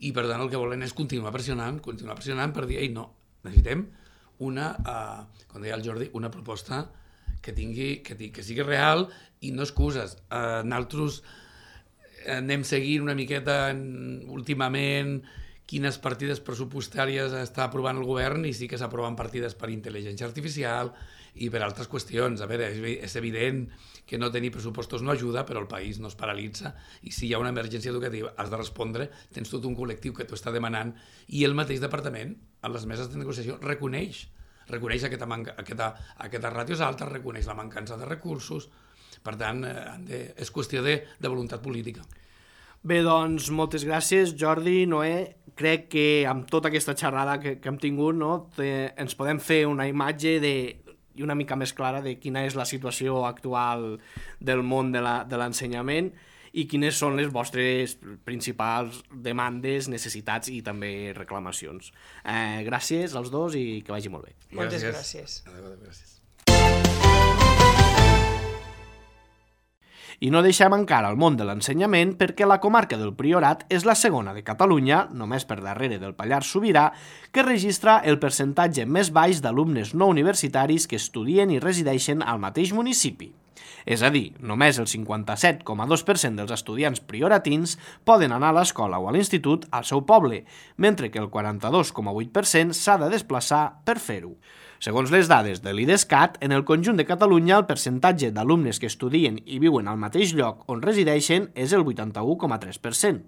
i per tant el que volen és continuar pressionant, continuar pressionant per dir, ei no, necessitem una, uh, com deia el Jordi, una proposta que tingui, que, que sigui real i no excuses. Uh, nosaltres anem seguint una miqueta en, últimament quines partides pressupostàries està aprovant el govern i sí que s'aproven partides per intel·ligència artificial i per altres qüestions. A veure, és evident que no tenir pressupostos no ajuda, però el país no es paralitza i si hi ha una emergència educativa has de respondre, tens tot un col·lectiu que t'ho està demanant i el mateix departament, a les meses de negociació, reconeix, reconeix aquesta, manca, aquesta, aquesta ràtios altes, reconeix la mancança de recursos, Per tant, eh, és qüestió de, de voluntat política. Bé, doncs, moltes gràcies, Jordi, Noé. Crec que amb tota aquesta xerrada que, que hem tingut, no, te, ens podem fer una imatge de, i una mica més clara de quina és la situació actual del món de l'ensenyament i quines són les vostres principals demandes, necessitats i també reclamacions. Eh, gràcies als dos i que vagi molt bé. Moltes gràcies. Adéu, adéu, gràcies. I no deixem encara el món de l'ensenyament perquè la comarca del Priorat és la segona de Catalunya, només per darrere del Pallars Sobirà, que registra el percentatge més baix d'alumnes no universitaris que estudien i resideixen al mateix municipi. És a dir, només el cinquanta-set coma dos per cent dels estudiants prioratins poden anar a l'escola o a l'institut al seu poble, mentre que el quaranta-dos coma vuit per cent s'ha de desplaçar per fer-ho. Segons les dades de l'IDESCAT, en el conjunt de Catalunya el percentatge d'alumnes que estudien i viuen al mateix lloc on resideixen és el vuitanta-u coma tres per cent.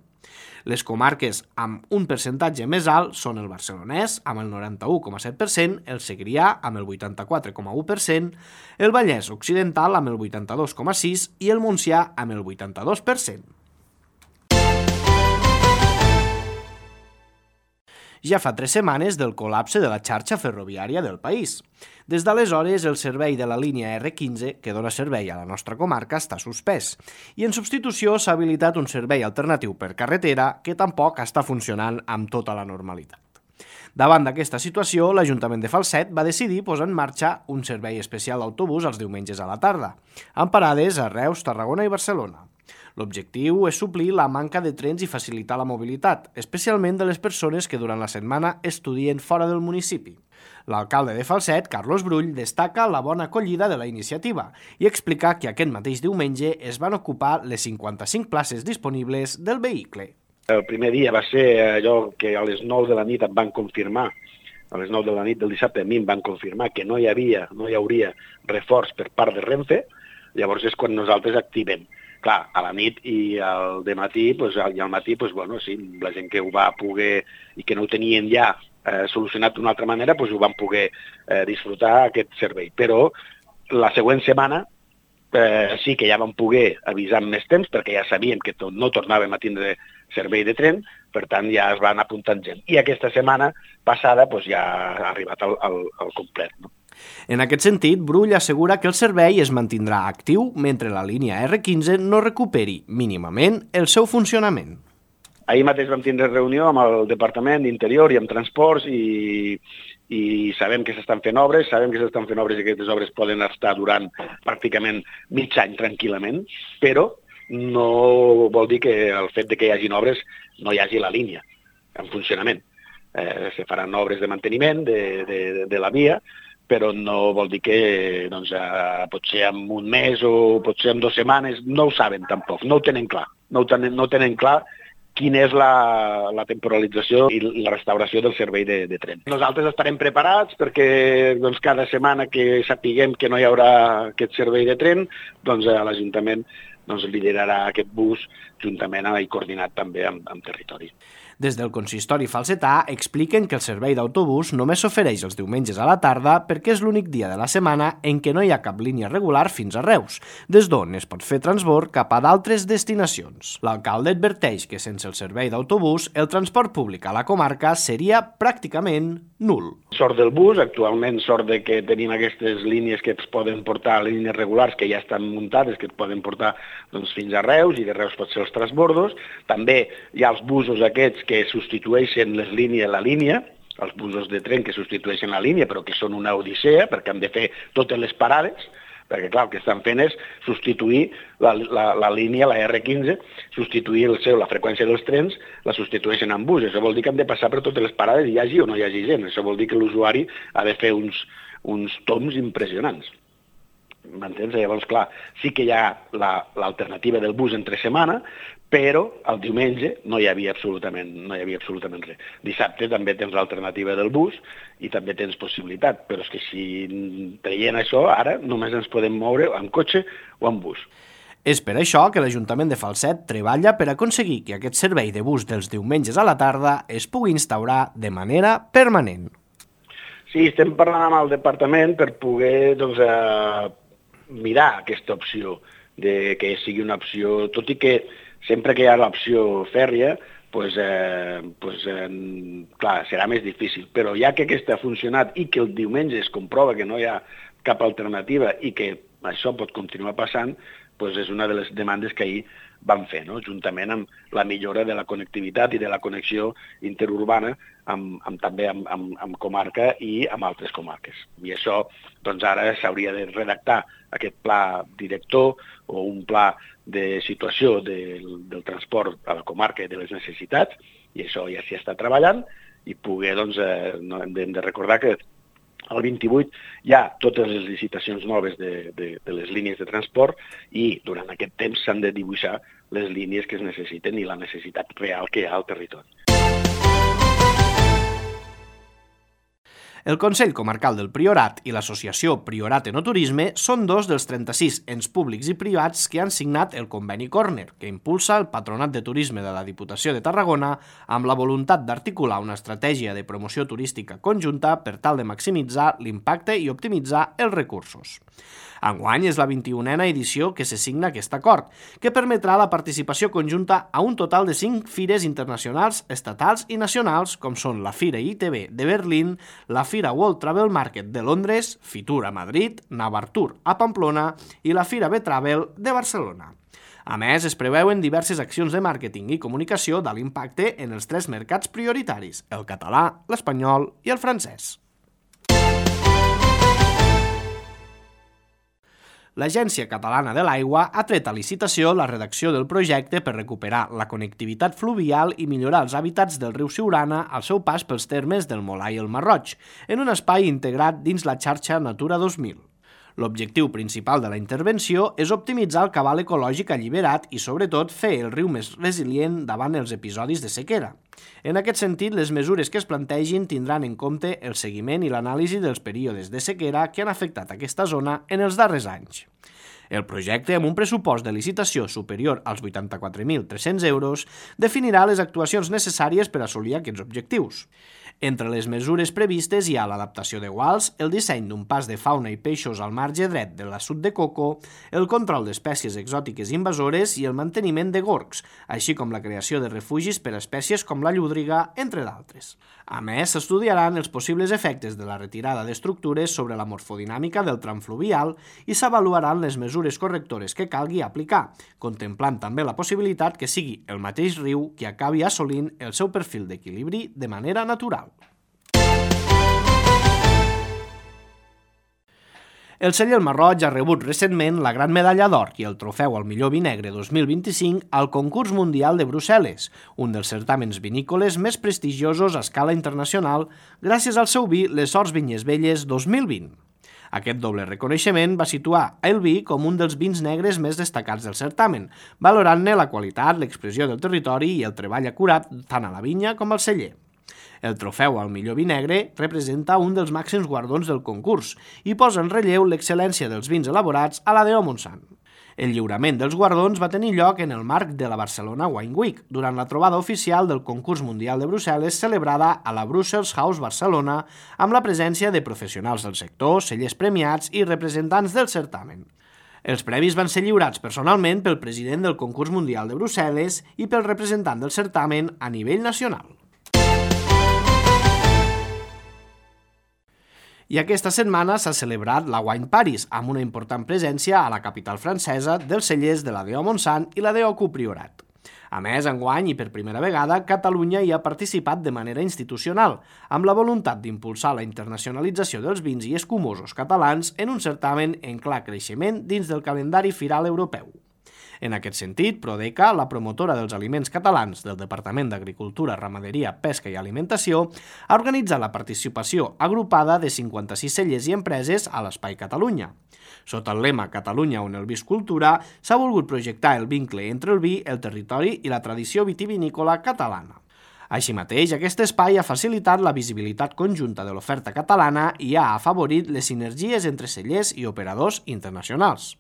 Les comarques amb un percentatge més alt són el barcelonès, amb el noranta-u coma set per cent, el segrià, amb el vuitanta-quatre coma u per cent, el Vallès Occidental, amb el vuitanta-dos coma sis per cent, i el Montsià, amb el vuitanta-dos per cent. Ja fa tres setmanes del col·lapse de la xarxa ferroviària del país. Des d'aleshores, el servei de la línia erre quinze, que dona servei a la nostra comarca, està suspès, i en substitució s'ha habilitat un servei alternatiu per carretera que tampoc està funcionant amb tota la normalitat. Davant d'aquesta situació, l'Ajuntament de Falset va decidir posar en marxa un servei especial d'autobús els diumenges a la tarda, amb parades a Reus, Tarragona i Barcelona. L'objectiu és suplir la manca de trens i facilitar la mobilitat, especialment de les persones que durant la setmana estudien fora del municipi. L'alcalde de Falset, Carlos Brull, destaca la bona acollida de la iniciativa i explica que aquest mateix diumenge es van ocupar les cinquanta-cinc places disponibles del vehicle. El primer dia va ser allò que a les nou de la nit em van confirmar, a les nou de la nit del dissabte a mi em van confirmar que no hi havia, no hi hauria reforç per part de Renfe, llavors és quan nosaltres activem. Clar, a la nit i al dematí, doncs, i al matí, doncs, bueno, sí, la gent que ho va poder i que no ho tenien ja eh, solucionat d'una altra manera, doncs ho van poder eh, disfrutar aquest servei. Però la següent setmana eh, sí que ja vam poder avisar amb més temps perquè ja sabíem que to- no tornàvem a tindre servei de tren, per tant ja es van apuntant gent. I aquesta setmana passada doncs, ja ha arribat al, al, al complet, no? En aquest sentit, Brull assegura que el servei es mantindrà actiu mentre la línia erre quinze no recuperi mínimament el seu funcionament. Ahir mateix vam tindre reunió amb el Departament d'Interior i amb Transports i, i sabem que s'estan fent obres, sabem que s'estan fent obres i que aquestes obres poden estar durant pràcticament mig any tranquil·lament, però no vol dir que el fet de que hi hagin obres no hi hagi la línia en funcionament. Eh, se faran obres de manteniment de, de, de la via, però no vol dir que doncs, eh, potser en un mes o potser en dues setmanes, no ho saben tampoc, no ho tenen clar, no ho tenen, no tenen clar quina és la, la temporalització i la restauració del servei de, de tren. Nosaltres estarem preparats perquè doncs, cada setmana que sapiguem que no hi haurà aquest servei de tren, doncs eh, l'Ajuntament doncs, liderarà aquest bus juntament i coordinat també amb, amb territori. Des del consistori falsetà expliquen que el servei d'autobús només s'ofereix els diumenges a la tarda perquè és l'únic dia de la setmana en què no hi ha cap línia regular fins a Reus, des d'on es pot fer transbord cap a d'altres destinacions. L'alcalde adverteix que sense el servei d'autobús el transport públic a la comarca seria pràcticament nul. Sort del bus, actualment sort de que tenim aquestes línies que es poden portar, línies regulars que ja estan muntades, que es poden portar doncs, fins a Reus i de Reus pot ser els transbordos. També hi ha els busos aquests que substitueixen les línies la línia, els busos de tren que substitueixen la línia, però que són una odissea perquè han de fer totes les parades, perquè clar, el que estan fent és substituir la, la, la línia, la erre quinze, substituir el seu, la freqüència dels trens, la substitueixen amb bus. Això vol dir que han de passar per totes les parades, hi hagi o no hi hagi gent. Això vol dir que l'usuari ha de fer uns, uns toms impressionants. M'entens? Llavors, clar, sí que hi ha l'alternativa la, del bus entre setmana, però el diumenge no hi havia absolutament, no hi havia absolutament res. Dissabte també tens l'alternativa del bus i també tens possibilitat, però és que si traient això, ara només ens podem moure amb cotxe o amb bus. És per això que l'Ajuntament de Falset treballa per aconseguir que aquest servei de bus dels diumenges a la tarda es pugui instaurar de manera permanent. Sí, estem parlant amb el departament per poder doncs, eh, mirar aquesta opció. de que sigui una opció, tot i que sempre que hi ha l'opció fèrria, pues, eh, pues, eh, clar, serà més difícil. Però ja que aquesta ha funcionat i que el diumenge es comprova que no hi ha cap alternativa i que això pot continuar passant, pues és una de les demandes que ahir vam fer, no? Juntament amb la millora de la connectivitat i de la connexió interurbana amb, amb, també amb, amb, amb comarca i amb altres comarques. I això doncs, ara s'hauria de redactar aquest pla director o un pla de situació del, del transport a la comarca i de les necessitats, i això ja s'hi està treballant, i poder, doncs, eh, no hem de, hem de recordar que el vint-i-vuit hi ha totes les licitacions noves de, de, de les línies de transport i durant aquest temps s'han de dibuixar les línies que es necessiten i la necessitat real que hi ha al territori. El Consell Comarcal del Priorat i l'Associació Priorat Enoturisme són dos dels trenta-sis ens públics i privats que han signat el conveni Corner, que impulsa el Patronat de Turisme de la Diputació de Tarragona amb la voluntat d'articular una estratègia de promoció turística conjunta per tal de maximitzar l'impacte i optimitzar els recursos. Enguany és la vint-i-unena edició que se signa aquest acord, que permetrà la participació conjunta a un total de cinc fires internacionals, estatals i nacionals, com són la Fira I T B de Berlín, la Fira World Travel Market de Londres, Fitur a Madrid, Navartur a Pamplona i la Fira B-Travel de Barcelona. A més, es preveuen diverses accions de màrqueting i comunicació d'alt impacte en els tres mercats prioritaris, el català, l'espanyol i el francès. L'Agència Catalana de l'Aigua ha tret a licitació la redacció del projecte per recuperar la connectivitat fluvial i millorar els hàbitats del riu Siurana al seu pas pels termes del Molar i el Marroig, en un espai integrat dins la xarxa Natura dos mil. L'objectiu principal de la intervenció és optimitzar el cabal ecològic alliberat i, sobretot, fer el riu més resilient davant els episodis de sequera. En aquest sentit, les mesures que es plantegin tindran en compte el seguiment i l'anàlisi dels períodes de sequera que han afectat aquesta zona en els darrers anys. El projecte, amb un pressupost de licitació superior als vuitanta-quatre mil tres-cents euros, definirà les actuacions necessàries per assolir aquests objectius. Entre les mesures previstes hi ha l'adaptació de guals, el disseny d'un pas de fauna i peixos al marge dret de l'assut de coco, el control d'espècies exòtiques invasores i el manteniment de gorgs, així com la creació de refugis per a espècies com la llúdriga, entre d'altres. A més, s'estudiaran els possibles efectes de la retirada d'estructures sobre la morfodinàmica del tram fluvial i s'avaluaran les mesures correctores que calgui aplicar, contemplant també la possibilitat que sigui el mateix riu que acabi assolint el seu perfil d'equilibri de manera natural. El celler Marroig ha rebut recentment la Gran Medalla d'Or i el trofeu al millor vi negre dos mil vint-i-cinc al Concurs Mundial de Brussel·les, un dels certàmens vinícoles més prestigiosos a escala internacional gràcies al seu vi Les Horts Vinyes Velles dos mil vint. Aquest doble reconeixement va situar el vi com un dels vins negres més destacats del certamen, valorant-ne la qualitat, l'expressió del territori i el treball acurat tant a la vinya com al celler. El trofeu al millor vi negre representa un dels màxims guardons del concurs i posa en relleu l'excel·lència dels vins elaborats a la D O Montsant. El lliurament dels guardons va tenir lloc en el marc de la Barcelona Wine Week, durant la trobada oficial del Concurs Mundial de Brussel·les celebrada a la Brussels House Barcelona amb la presència de professionals del sector, cellers premiats i representants del certamen. Els premis van ser lliurats personalment pel president del Concurs Mundial de Brussel·les i pel representant del certamen a nivell nacional. I aquesta setmana s'ha celebrat la Wine Paris, amb una important presència a la capital francesa dels cellers de la D O Montsant i la D O Q Priorat. A més, enguany i per primera vegada, Catalunya hi ha participat de manera institucional, amb la voluntat d'impulsar la internacionalització dels vins i escumosos catalans en un certamen en clar creixement dins del calendari firal europeu. En aquest sentit, Prodeca, la promotora dels aliments catalans del Departament d'Agricultura, Ramaderia, Pesca i Alimentació, ha organitzat la participació agrupada de cinquanta-sis cellers i empreses a l'Espai Catalunya. Sota el lema Catalunya on el vi és cultura, s'ha volgut projectar el vincle entre el vi, el territori i la tradició vitivinícola catalana. Així mateix, aquest espai ha facilitat la visibilitat conjunta de l'oferta catalana i ha afavorit les sinergies entre cellers i operadors internacionals.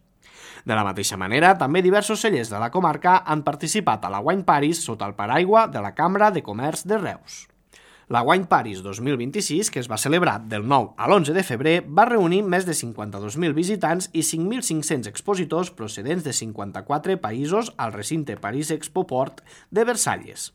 De la mateixa manera, també diversos cellers de la comarca han participat a la Wine Paris sota el paraigua de la Cambra de Comerç de Reus. La Wine Paris dos mil vint-i-sis, que es va celebrar del nou a l'onze de febrer, va reunir més de cinquanta-dos mil visitants i cinc mil cinc-cents expositors procedents de cinquanta-quatre països al recinte París Expo Port de Versalles.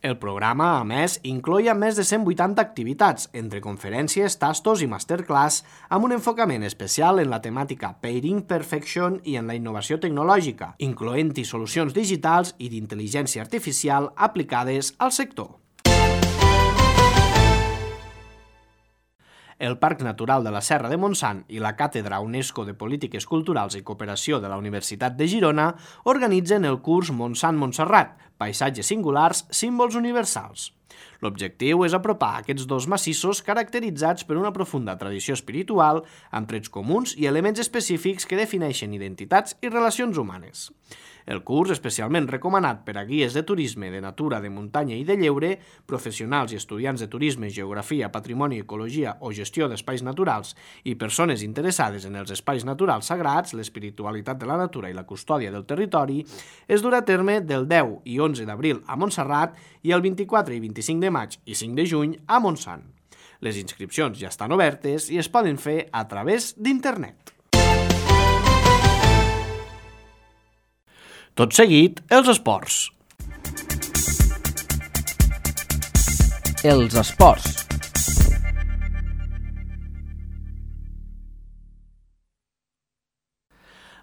El programa, a més, incloïa més de cent vuitanta activitats, entre conferències, tastos i masterclass, amb un enfocament especial en la temàtica Painting Perfection i en la innovació tecnològica, incloent-hi solucions digitals i d'intel·ligència artificial aplicades al sector. El Parc Natural de la Serra de Montsant i la Càtedra UNESCO de Polítiques Culturals i Cooperació de la Universitat de Girona organitzen el curs Montsant-Montserrat, Paisatges singulars, símbols universals. L'objectiu és apropar aquests dos massissos caracteritzats per una profunda tradició espiritual, amb trets comuns i elements específics que defineixen identitats i relacions humanes. El curs, especialment recomanat per a guies de turisme, de natura, de muntanya i de lleure, professionals i estudiants de turisme, geografia, patrimoni, ecologia o gestió d'espais naturals i persones interessades en els espais naturals sagrats, l'espiritualitat de la natura i la custòdia del territori, es durà a terme del deu i onze d'abril a Montserrat i el vint-i-quatre i vint-i-cinc de maig i cinc de juny a Montsant. Les inscripcions ja estan obertes i es poden fer a través d'internet. Tot seguit, els esports. Els esports.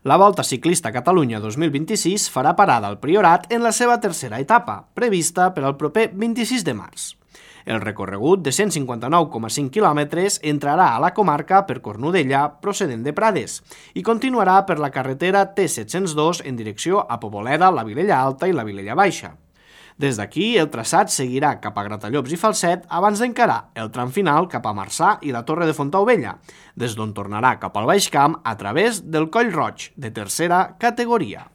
La Volta Ciclista Catalunya dos mil vint-i-sis farà parada al Priorat en la seva tercera etapa, prevista per al proper vint-i-sis de març. El recorregut de cent cinquanta-nou coma cinc quilòmetres entrarà a la comarca per Cornudella, procedent de Prades, i continuarà per la carretera T set cents dos en direcció a Poboleda, la Vilella Alta i la Vilella Baixa. Des d'aquí, el traçat seguirà cap a Gratallops i Falset abans d'encarar el tram final cap a Marçà i la Torre de Fontaubella, des d'on tornarà cap al Baix Camp a través del Coll Roig, de tercera categoria.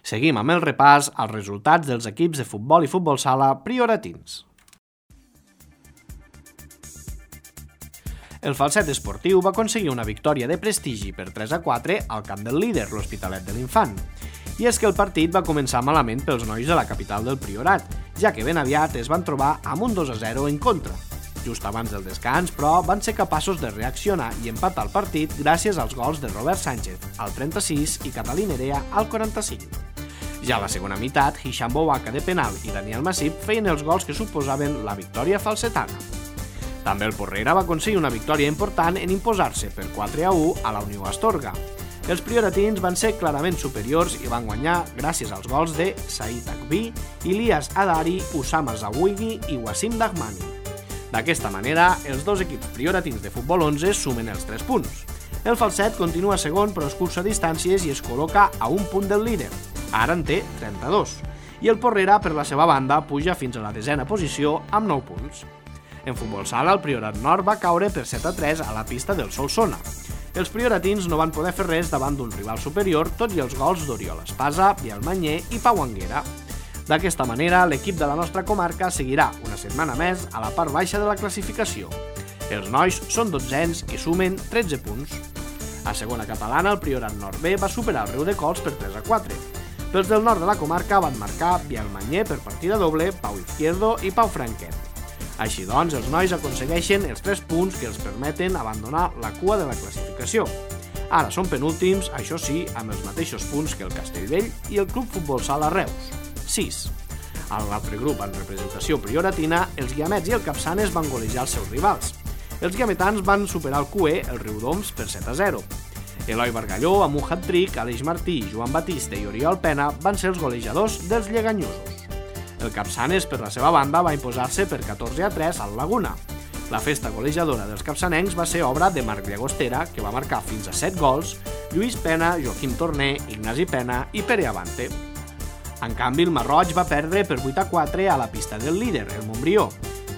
Seguim amb el repàs als resultats dels equips de futbol i futbol sala prioratins. El Falset Esportiu va aconseguir una victòria de prestigi per tres a quatre al camp del líder, l'Hospitalet de l'Infant. I és que el partit va començar malament pels nois de la capital del Priorat, ja que ben aviat es van trobar amb un dos a zero en contra. Just abans del descans, però, van ser capaços de reaccionar i empatar el partit gràcies als gols de Robert Sánchez, al trenta-sis, i Catalí Nerea, al quaranta-cinc. Ja a la segona meitat, Hisham Bouaka de penal i Daniel Massip feien els gols que suposaven la victòria falsetana. També el Porrera va aconseguir una victòria important en imposar-se per quatre a u a la Unió Astorga. Els prioratins van ser clarament superiors i van guanyar gràcies als gols de Said Akbi, Ilias Adari, Usama Zawigi i Wassim Dahmani. D'aquesta manera, els dos equips prioratins de futbol onze sumen els tres punts. El Falset continua segon però escurça distàncies i es col·loca a un punt del líder. Ara en té trenta-dos. I el Porrera, per la seva banda, puja fins a la desena posició amb nou punts. En futbol sala, el Priorat Nord va caure per set a tres a la pista del Solsona. Els prioratins no van poder fer res davant d'un rival superior, tot i els gols d'Oriol Espasa, Biel Manyer i Pau Anguera. D'aquesta manera, l'equip de la nostra comarca seguirà una setmana més a la part baixa de la classificació. Els nois són dotzens i sumen tretze punts. A segona catalana, el Priorat Nord B va superar el Riudecols per tres a quatre. Pels del nord de la comarca van marcar Biel Manyer per partida doble, Pau Izquierdo i Pau Franquet. Així doncs, els nois aconsegueixen els tres punts que els permeten abandonar la cua de la classificació. Ara són penúltims, això sí, amb els mateixos punts que el Castellvell i el Club Futbol Sala Reus, sis. A l'altre grup, en representació prioratina, els Guiamets i el Capçanes van golejar els seus rivals. Els guiametans van superar el Q E, el Riudoms, per set a zero. Eloi Bargalló, amb un hat-trick, Aleix Martí, Joan Batista i Oriol Pena van ser els golejadors dels lleganyosos. El Capçanes, per la seva banda, va imposar-se per catorze a tres al Laguna. La festa golejadora dels capçanencs va ser obra de Marc Llagostera, que va marcar fins a set gols, Lluís Pena, Joaquim Torner, Ignasi Pena i Pere Avante. En canvi, el Marroig va perdre per vuit a quatre a la pista del líder, el Montbrió.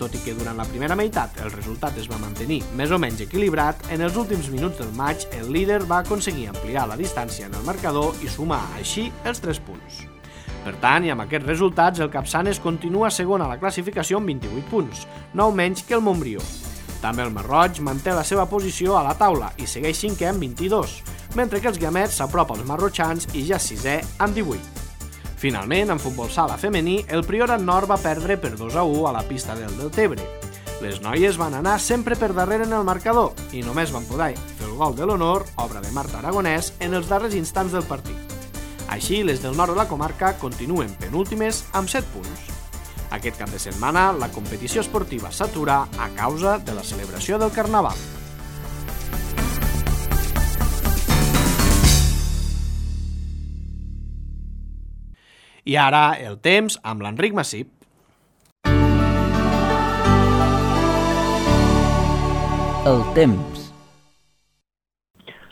Tot i que durant la primera meitat el resultat es va mantenir més o menys equilibrat, en els últims minuts del maig el líder va aconseguir ampliar la distància en el marcador i sumar així els tres punts. Per tant, i amb aquests resultats, el Capçanes continua segon a la classificació amb vint-i-vuit punts, nou menys que el Montbrió. També el Marroig manté la seva posició a la taula i segueix cinquè amb vint-i-dos, mentre que els Guiamets s'apropa als marrotxans i ja és sisè amb divuit. Finalment, en futbol sala femení, el Priorat Nord va perdre per dos a u a la pista del Deltebre. Les noies van anar sempre per darrere en el marcador i només van poder fer el gol de l'honor, obra de Marta Aragonès, en els darrers instants del partit. Així, les del nord de la comarca continuen penúltimes amb set punts. Aquest cap de setmana, la competició esportiva s'atura a causa de la celebració del Carnaval. I ara, el temps amb l'Enric Massip. El temps.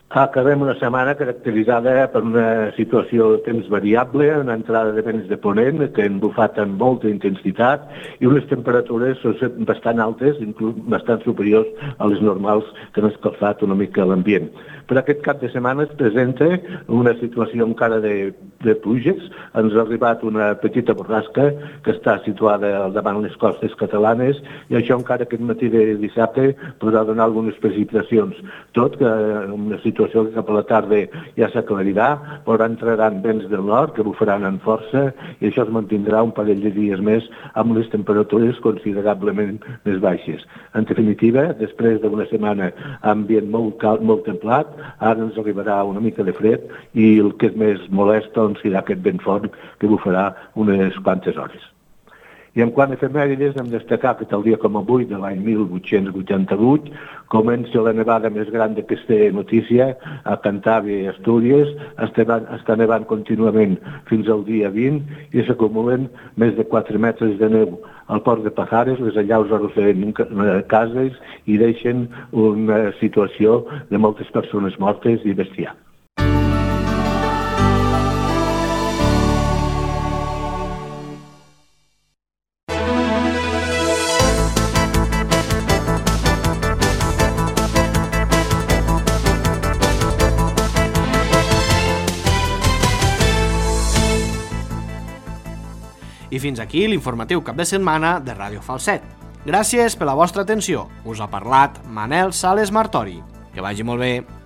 Acabem una setmana caracteritzada per una situació de temps variable, una entrada de vents de ponent que han bufat amb molta intensitat i unes temperatures bastant altes, inclús bastant superiors a les normals que han escalfat una mica l'ambient. Per aquest cap de setmana es presenta una situació encara de, de pluges. Ens ha arribat una petita borrasca que està situada davant les costes catalanes i això encara aquest matí de dissabte podrà donar algunes precipitacions. Tot que una situació que cap a la tarda ja s'aclarirà, però entraran vents del nord que bufaran amb força i això es mantindrà un parell de dies més amb les temperatures considerablement més baixes. En definitiva, després d'una setmana ambient molt calt, molt templat, ara ens arribarà una mica de fred i el que és més molest doncs, serà aquest vent fort que bufarà unes quantes hores. I en quant a efemèrides, hem de destacar que tal dia com avui, de l'any mil vuit-cents vuitanta-vuit, comença la nevada més gran d'aquesta notícia a Cantàbria i Astúries, està nevant contínuament fins al dia vint i s'acumulen més de quatre metres de neu. Al port de Pajares, les allaus arrosseguen cases i deixen una situació de moltes persones mortes i bestiar. I fins aquí l'informatiu cap de setmana de Ràdio Falset. Gràcies per la vostra atenció. Us ha parlat Manel Sales Martori. Que vagi molt bé.